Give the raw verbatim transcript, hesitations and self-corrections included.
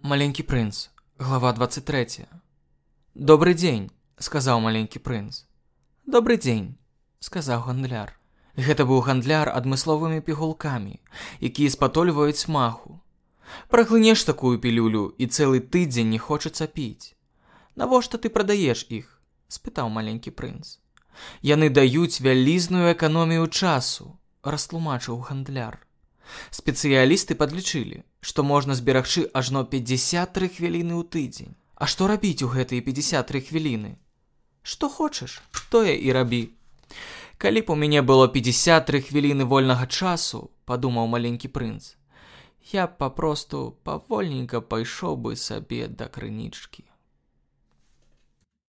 Маленький принц, глава двадцать третья. «Добрый дзень», – сказаў маленькі прынц. «Добрый дзень», – сказаў гандляр. Гэта быў гандляр адмысловымі пігулкамі, якія спатольваюць смаху. Праглынеш такую пілюлю і цэлы тыдзень не хочацца піць. «Навошта ты прадаеш іх?» – спытаў маленькі прынц. «Яны даюць вялізную эканомію часу», – растлумачыў гандляр. Спецыялісты падлічылі, што можна зберагчы ажно пяцьдзясят тры хвіліны ў тыдзень. А што рабіць у гэтыя пяцьдзясят тры хвіліны? Што хочаш, тое і рабі. Калі б у мяне было пяцьдзясят тры хвіліны вольнага часу, падумаў маленькі прынц, я папросту павольненька пайшоў бы сабе да крынічкі.